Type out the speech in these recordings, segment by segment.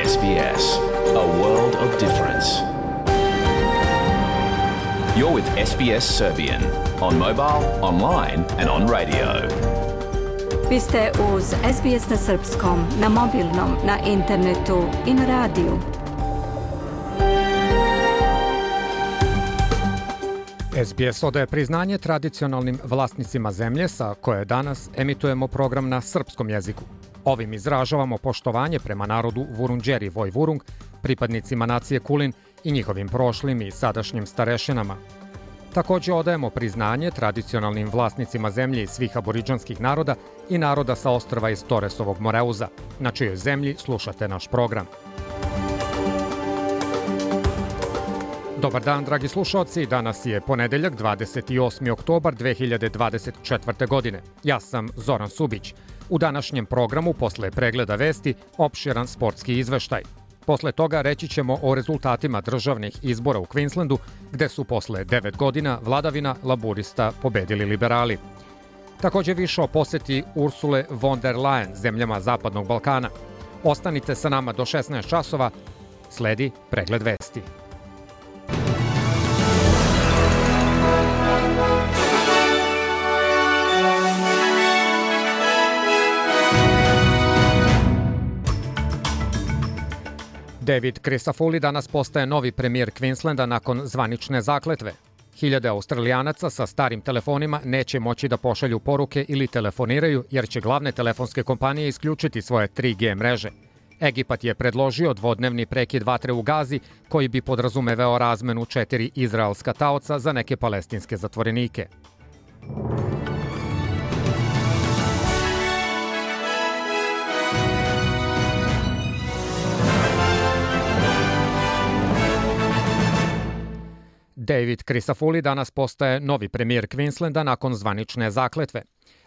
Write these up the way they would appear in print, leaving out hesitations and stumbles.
SBS, a world of difference. You're with SBS Serbian on mobile, online and on radio. Vi ste uz SBS na srpskom, na mobilnom, na internetu i na radiju. SBS odaje priznanje tradicionalnim vlasnicima zemlje sa koje danas emitujemo program na srpskom jeziku. Ovim izražavamo poštovanje prema narodu Vurundjeri Vojvurung, pripadnicima nacije Kulin i njihovim prošlim i sadašnjim starešinama. Također odajemo priznanje tradicionalnim vlasnicima zemlje iz svih aboridžanskih naroda i naroda sa ostrva iz Toresovog Moreuza, na čijoj zemlji slušate naš program. Dobar dan, dragi slušalci. Danas je ponedeljak, 28. oktobar 2024. godine. Ja sam Zoran Subić. U današnjem programu, posle pregleda vesti, opširan sportski izveštaj. Posle toga reći ćemo o rezultatima državnih izbora u Queenslandu, gde su posle 9 godina vladavina laburista pobedili liberali. Također više o poseti Ursule von der Leyen zemljama Zapadnog Balkana. Ostanite sa nama do 16 časova, sledi pregled vesti. David Crisafulli danas postaje novi premijer Queenslanda nakon zvanične zakletve. Hiljade Australijanaca sa starim telefonima neće moći da pošalju poruke ili telefoniraju jer će glavne telefonske kompanije isključiti svoje 3G mreže. Egipat je predložio dvodnevni prekid vatre u Gazi koji bi podrazumevao razmenu 4 izraelska taoca za neke palestinske zatvorenike. David Crisafulli danas postaje novi premijer Queenslanda nakon zvanične zakletve.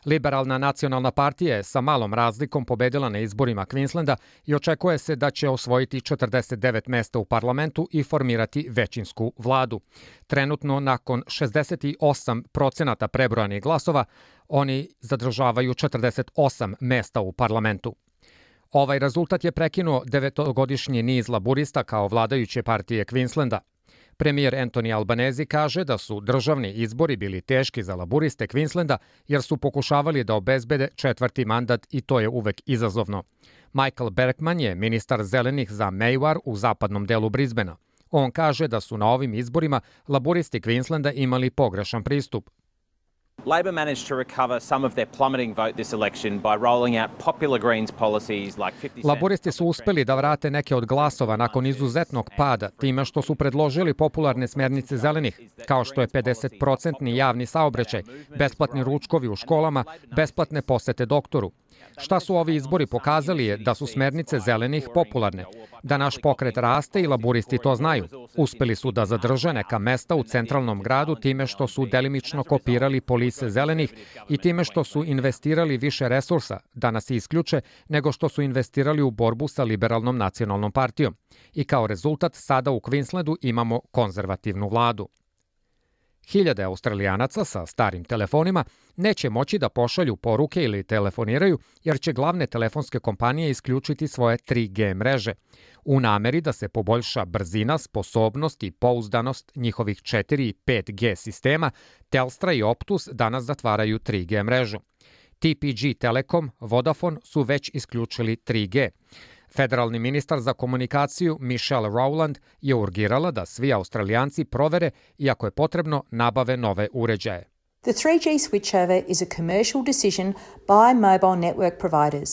Liberalna nacionalna partija je sa malom razlikom pobedila na izborima Queenslanda i očekuje se da će osvojiti 49 mesta u parlamentu i formirati većinsku vladu. Trenutno, nakon 68% prebrojanih glasova, oni zadržavaju 48 mesta u parlamentu. Ovaj rezultat je prekinuo 9-godišnji niz laburista kao vladajuće partije Queenslanda. Premijer Anthony Albanese kaže da su državni izbori bili teški za laburiste Queenslanda jer su pokušavali da obezbede četvrti mandat i to je uvek izazovno. Michael Berkman je ministar zelenih za Maywar u zapadnom delu Brisbanea. On kaže da su na ovim izborima laburisti Queenslanda imali pogrešan pristup. Labor managed to recover some of their plummeting vote this election by rolling out popular Greens policies like 50 cent. Laburisti su uspeli da vrate neke od glasova nakon izuzetnog pada time što su predložili popularne smernice zelenih, kao što je 50% javni saobraćaj, besplatni ručkovi u školama, besplatne posete doktoru. Šta su ovi izbori pokazali je da su smernice zelenih popularne, da naš pokret raste i laburisti to znaju. Uspeli su da zadrže neka mesta u centralnom gradu time što su delimično kopirali polise zelenih i time što su investirali više resursa, da nas isključe, nego što su investirali u borbu sa liberalnom nacionalnom partijom. I kao rezultat sada u Queenslandu imamo konzervativnu vladu. Hiljade Australijanaca sa starim telefonima neće moći da pošalju poruke ili telefoniraju jer će glavne telefonske kompanije isključiti svoje 3G mreže. U nameri da se poboljša brzina, sposobnost i pouzdanost njihovih 4 i 5G sistema, Telstra i Optus danas zatvaraju 3G mrežu. TPG Telekom, Vodafone su već isključili 3G. Federalni ministar za komunikaciju Michelle Rowland je urgirala da svi Australijanci provere i ako je potrebno nabave nove uređaje. The 3G switchover is a commercial decision by mobile network providers.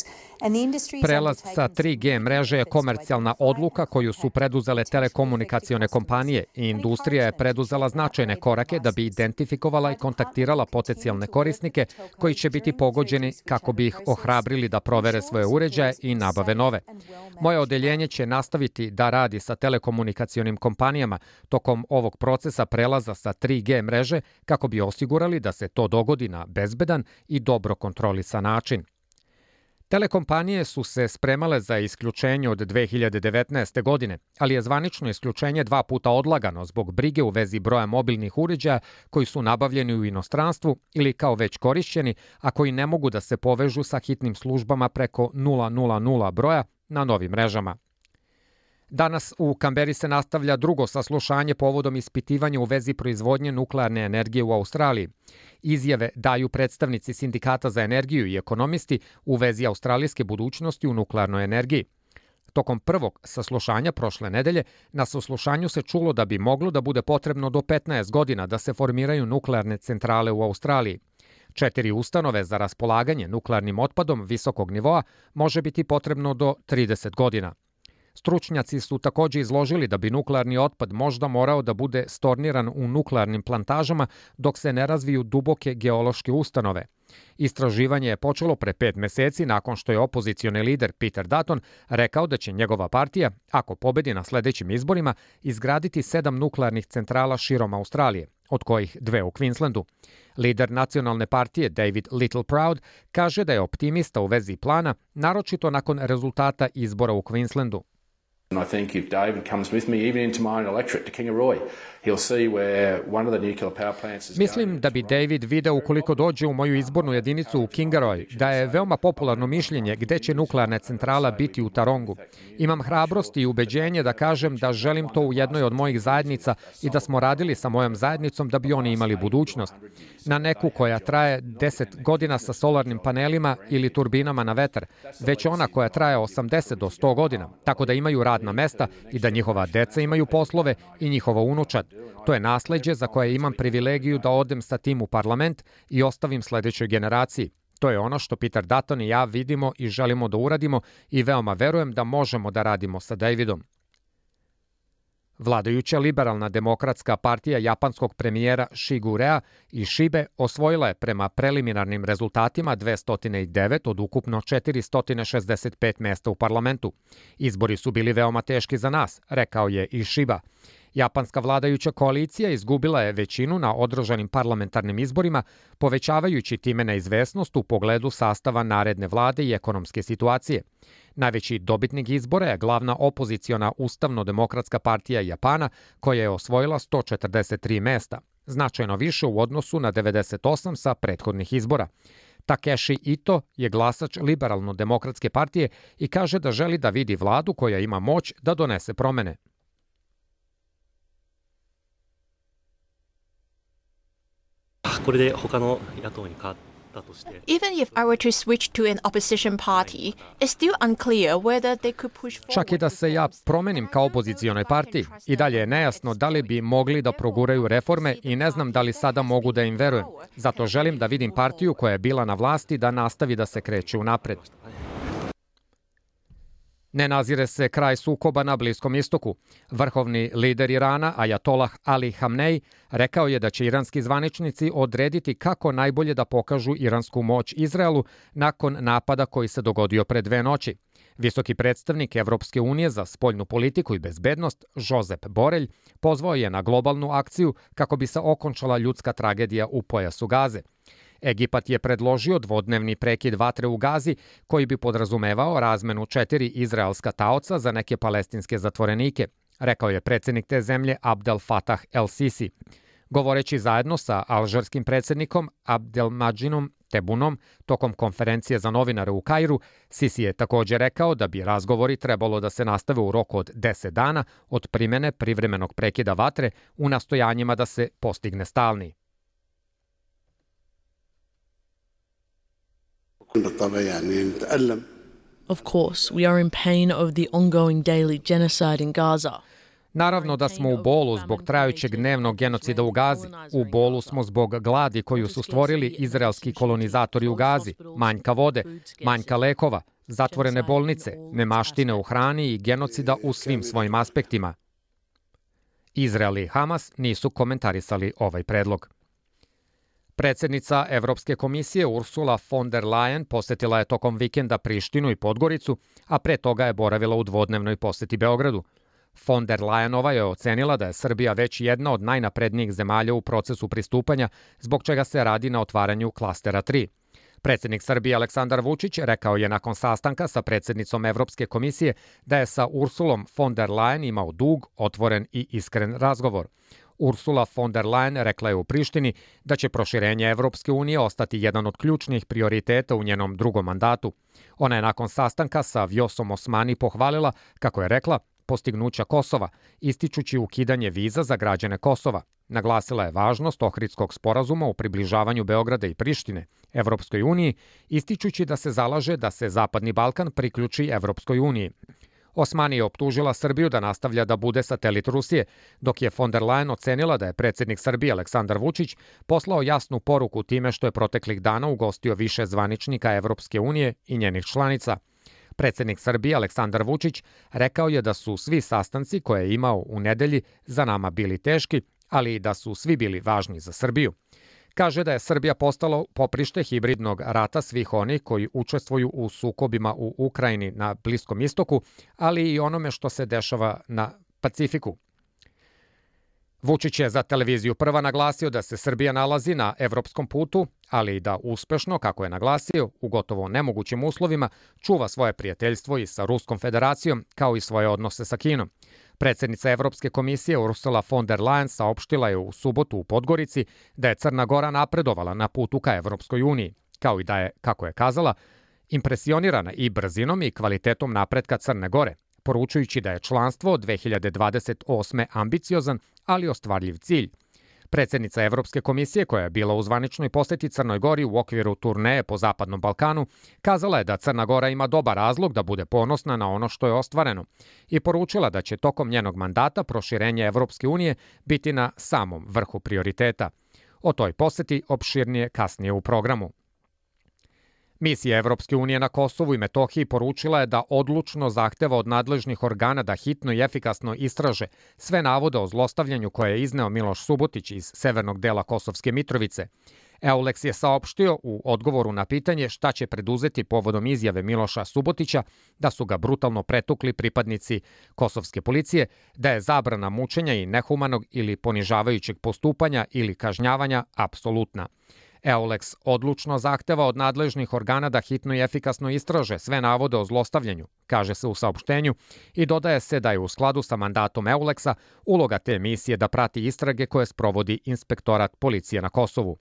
Prelaz sa 3G mreže je komercijalna odluka koju su preduzele telekomunikacione kompanije i industrija je preduzela značajne korake da bi identifikovala i kontaktirala potencijalne korisnike koji će biti pogođeni kako bi ih ohrabrili da provere svoje uređaje i nabave nove. Moje odeljenje će nastaviti da radi sa telekomunikacionim kompanijama tokom ovog procesa prelaza sa 3G mreže kako bi osigurali da se to dogodi na bezbedan i dobro kontrolisan način. Telekompanije su se spremale za isključenje od 2019. godine, ali je zvanično isključenje 2 puta odlagano zbog brige u vezi broja mobilnih uređaja koji su nabavljeni u inostranstvu ili kao već korišćeni, a koji ne mogu da se povežu sa hitnim službama preko 000 broja na novim mrežama. Danas u Kamberi se nastavlja drugo saslušanje povodom ispitivanja u vezi proizvodnje nuklearne energije u Australiji. Izjave daju predstavnici Sindikata za energiju i ekonomisti u vezi australijske budućnosti u nuklearnoj energiji. Tokom prvog saslušanja prošle nedelje, na saslušanju se čulo da bi moglo da bude potrebno do 15 godina da se formiraju nuklearne centrale u Australiji. 4 ustanove za raspolaganje nuklearnim otpadom visokog nivoa može biti potrebno do 30 godina. Stručnjaci su takođe izložili da bi nuklearni otpad možda morao da bude storniran u nuklearnim plantažama dok se ne razviju duboke geološke ustanove. Istraživanje je počelo pre 5 meseci nakon što je opozicioni lider Peter Dutton rekao da će njegova partija, ako pobedi na sledećim izborima, izgraditi 7 nuklearnih centrala širom Australije, od kojih 2 u Queenslandu. Lider nacionalne partije David Littleproud kaže da je optimista u vezi plana, naročito nakon rezultata izbora u Queenslandu. And I think if David comes with me, even into my own electorate to Kingaroy, he'll see where one of the nuclear power plants is going. Mislim da bi David video ukoliko dođe u moju izbornu jedinicu u Kingaroy, da je veoma popularno mišljenje gde će nuklearna centrala biti u Tarongu. Imam hrabrost i ubeđenje da kažem da želim to u jednoj od mojih zajednica i da smo radili sa mojom zajednicom da bi oni imali budućnost. Na neku koja traje 10 godina sa solarnim panelima ili turbinama na vetar, već ona koja traje 80 do 100 godina, tako da imaju radna mesta i da njihova deca imaju poslove i njihova unučad. To je nasleđe za koje imam privilegiju da odem sa tim u parlament i ostavim sledećoj generaciji. To je ono što Peter Dutton i ja vidimo i želimo da uradimo i veoma verujem da možemo da radimo sa Davidom. Vladajuća liberalna demokratska partija japanskog premijera Shigurea Ishibe osvojila je prema preliminarnim rezultatima 209 od ukupno 465 mesta u parlamentu. Izbori su bili veoma teški za nas, rekao je Ishiba. Japanska vladajuća koalicija izgubila je većinu na održanim parlamentarnim izborima, povećavajući time neizvesnost u pogledu sastava naredne vlade i ekonomske situacije. Najveći dobitnik izbora je glavna opoziciona Ustavno-demokratska partija Japana, koja je osvojila 143 mesta, značajno više u odnosu na 98 sa prethodnih izbora. Takeshi Ito je glasač Liberalno-demokratske partije i kaže da želi da vidi vladu koja ima moć da donese promene. Even if I were to switch to an opposition party, it's still unclear whether they could push forward. Čak i da se ja promenim kao opozicionoj partiji, i dalje je nejasno da li bi mogli da proguraju reforme i ne znam da li sada mogu da im verujem. Zato želim da vidim partiju koja je bila na vlasti da nastavi da se kreće unapred. Ne nazire se kraj sukoba na Bliskom istoku. Vrhovni lider Irana, Ajatolah Ali Hamnej, rekao je da će iranski zvaničnici odrediti kako najbolje da pokažu iransku moć Izraelu nakon napada koji se dogodio pre 2 noći. Visoki predstavnik Evropske unije za spoljnu politiku i bezbednost, Josep Borelj, pozvao je na globalnu akciju kako bi se okončala ljudska tragedija u pojasu Gaze. Egipat je predložio dvodnevni prekid vatre u Gazi koji bi podrazumevao razmenu 4 izraelska taoca za neke palestinske zatvorenike, rekao je predsednik te zemlje Abdel Fattah el-Sisi. Govoreći zajedno sa alžarskim predsednikom Abdelmadžinom Tebunom tokom konferencije za novinare u Kairu, Sisi je takođe rekao da bi razgovori trebalo da se nastave u roku od 10 dana od primene privremenog prekida vatre u nastojanjima da se postigne stalni. Of course, we are in pain over the ongoing daily genocide in Gaza. Naravno da smo u bolu zbog trajućeg dnevnog genocida u Gazi. U bolu smo zbog gladi koju su stvorili izraelski kolonizatori u Gazi, manjka vode, manjka lekova, zatvorene bolnice, nemaštine u hrani i genocida u svim svojim aspektima. Izrael i Hamas nisu komentarisali ovaj predlog. Predsednica Evropske komisije Ursula von der Leyen posetila je tokom vikenda Prištinu i Podgoricu, a pre toga je boravila u dvodnevnoj poseti Beogradu. Von der Leyenova je ocenila da je Srbija već jedna od najnaprednijih zemalja u procesu pristupanja, zbog čega se radi na otvaranju klastera 3. Predsednik Srbije Aleksandar Vučić rekao je nakon sastanka sa predsednicom Evropske komisije da je sa Ursulom von der Leyen imao dug, otvoren i iskren razgovor. Ursula von der Leyen rekla je u Prištini da će proširenje Evropske unije ostati jedan od ključnih prioriteta u njenom drugom mandatu. Ona je nakon sastanka sa Vjosom Osmani pohvalila, kako je rekla, postignuća Kosova, ističući ukidanje viza za građane Kosova. Naglasila je važnost Ohridskog sporazuma u približavanju Beograda i Prištine Evropskoj uniji, ističući da se zalaže da se Zapadni Balkan priključi Evropskoj uniji. Osmani je optužila Srbiju da nastavlja da bude satelit Rusije, dok je von der Leyen ocenila da je predsjednik Srbije Aleksandar Vučić poslao jasnu poruku time što je proteklih dana ugostio više zvaničnika Evropske unije i njenih članica. Predsjednik Srbije Aleksandar Vučić rekao je da su svi sastanci koje je imao u nedelji za nama bili teški, ali i da su svi bili važni za Srbiju. Kaže da je Srbija postala poprište hibridnog rata svih onih koji učestvuju u sukobima u Ukrajini na Bliskom istoku, ali i onome što se dešava na Pacifiku. Vučić je za televiziju Prva naglasio da se Srbija nalazi na evropskom putu, ali i da uspešno, kako je naglasio, u gotovo nemogućim uslovima, čuva svoje prijateljstvo i sa Ruskom federacijom, kao i svoje odnose sa Kinom. Predsjednica Evropske komisije Ursula von der Leyen saopštila je u subotu u Podgorici da je Crna Gora napredovala na putu ka Evropskoj uniji, kao i da je, kako je kazala, impresionirana i brzinom i kvalitetom napretka Crne Gore, poručujući da je članstvo od 2028. ambiciozan, ali ostvarljiv cilj. Predsjednica Evropske komisije, koja je bila u zvaničnoj poseti Crnoj Gori u okviru turneje po Zapadnom Balkanu, kazala je da Crna Gora ima dobar razlog da bude ponosna na ono što je ostvareno i poručila da će tokom njenog mandata proširenje Evropske unije biti na samom vrhu prioriteta. O toj poseti opširnije kasnije u programu. Misija Evropske unije na Kosovu i Metohiji poručila je da odlučno zahteva od nadležnih organa da hitno i efikasno istraže sve navode o zlostavljanju koje je izneo Miloš Subotić iz severnog dela Kosovske Mitrovice. EULEX je saopštio u odgovoru na pitanje šta će preduzeti povodom izjave Miloša Subotića da su ga brutalno pretukli pripadnici kosovske policije, da je zabrana mučenja i nehumanog ili ponižavajućeg postupanja ili kažnjavanja apsolutna. EULEX odlučno zahteva od nadležnih organa da hitno i efikasno istraže sve navode o zlostavljanju, kaže se u saopštenju, i dodaje se da je u skladu sa mandatom EULEX-a uloga te misije da prati istrage koje sprovodi Inspektorat policije na Kosovu.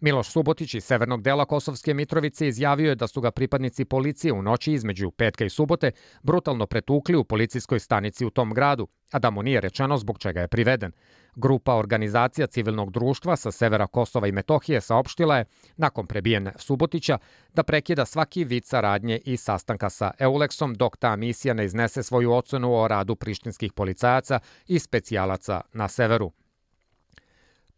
Miloš Subotić iz severnog dela Kosovske Mitrovice izjavio je da su ga pripadnici policije u noći između petka i subote brutalno pretukli u policijskoj stanici u tom gradu, a da mu nije rečeno zbog čega je priveden. Grupa organizacija civilnog društva sa severa Kosova i Metohije saopštila je, nakon prebijene Subotića, da prekida svaki vid saradnje i sastanka sa EULEX-om dok ta misija ne iznese svoju ocenu o radu prištinskih policajaca i specijalaca na severu.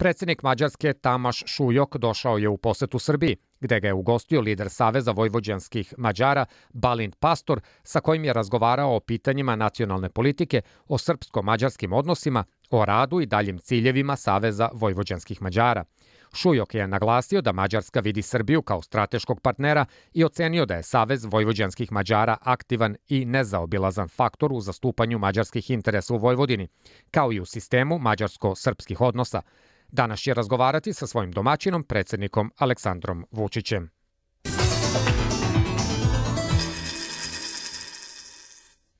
Predsjednik Mađarske Tamaš Šujok došao je u posetu Srbiji, gde ga je ugostio lider Saveza vojvođanskih Mađara Balint Pastor, sa kojim je razgovarao o pitanjima nacionalne politike, o srpsko-mađarskim odnosima, o radu i daljim ciljevima Saveza vojvođanskih Mađara. Šujok je naglasio da Mađarska vidi Srbiju kao strateškog partnera i ocenio da je Savez vojvođanskih Mađara aktivan i nezaobilazan faktor u zastupanju mađarskih interesa u Vojvodini, kao i u sistemu mađarsko-srpskih odnosa. Danas će razgovarati sa svojim domaćinom, predsjednikom Aleksandrom Vučićem.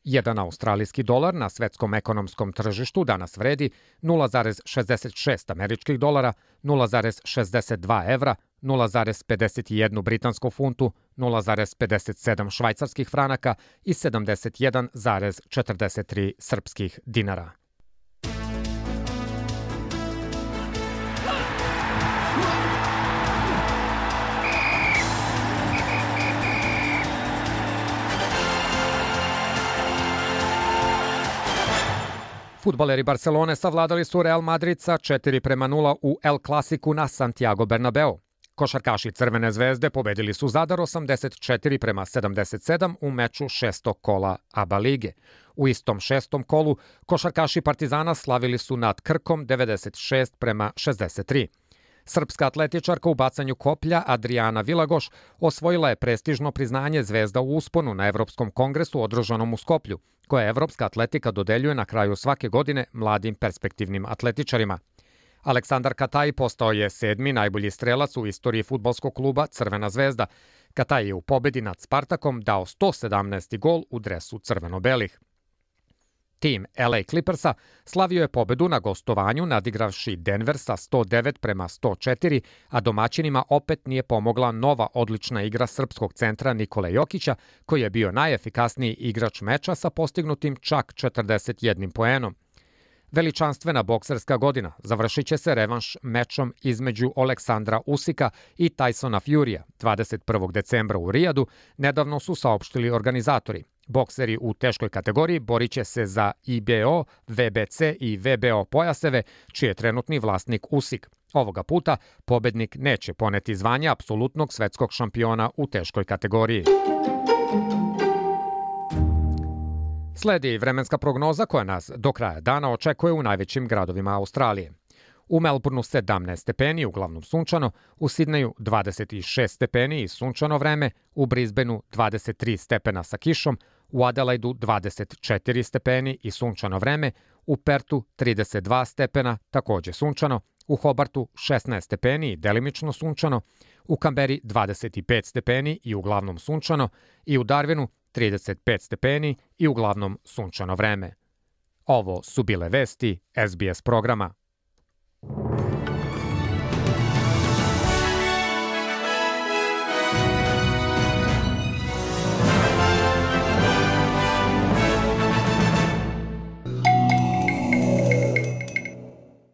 Jedan australijski dolar na svetskom ekonomskom tržištu danas vredi 0,66 američkih dolara, 0,62 evra, 0,51 britansku funtu, 0,57 švajcarskih franaka i 71,43 srpskih dinara. Fudbaleri Barcelone savladali su Real Madrid sa 4:0 u El Clasiku na Santiago Bernabeu. Košarkaši Crvene zvezde pobedili su Zadar 84:77 u meču šestog kola ABA lige. U istom šestom kolu košarkaši Partizana slavili su nad Krkom 96:63. Srpska atletičarka u bacanju koplja Adriana Vilagoš osvojila je prestižno priznanje Zvezda u usponu na Evropskom kongresu održanom u Skoplju, koje Evropska atletika dodeljuje na kraju svake godine mladim perspektivnim atletičarima. Aleksandar Kataj postao je 7. najbolji strelac u istoriji fudbalskog kluba Crvena zvezda. Kataj je u pobedi nad Spartakom dao 117. gol u dresu crveno-belih. Tim LA Clippersa slavio je pobedu na gostovanju nadigravši Denver sa 109-104, a domaćinima opet nije pomogla nova odlična igra srpskog centra Nikole Jokića, koji je bio najefikasniji igrač meča sa postignutim čak 41 poenom. Veličanstvena bokserska godina završit će se revanš mečom između Aleksandra Usika i Tysona Furya 21. decembra u Rijadu, nedavno su saopštili organizatori. Bokseri u teškoj kategoriji borit će se za IBO, VBC i VBO pojaseve, čiji je trenutni vlasnik Usik. Ovoga puta pobednik neće poneti zvanje apsolutnog svetskog šampiona u teškoj kategoriji. Sledi vremenska prognoza koja nas do kraja dana očekuje u najvećim gradovima Australije. U Melbourneu 17 stepeni, uglavnom sunčano, u Sidneju 26 stepeni i sunčano vreme, u Brisbaneu 23 stepena sa kišom, u Adelaidu 24 stepeni i sunčano vreme, u Pertu 32 stepena, takođe sunčano, u Hobartu 16 stepeni i delimično sunčano, u Kamberi 25 stepeni i uglavnom sunčano i u Darwinu 35 stepeni i uglavnom sunčano vreme. Ovo su bile vesti SBS programa.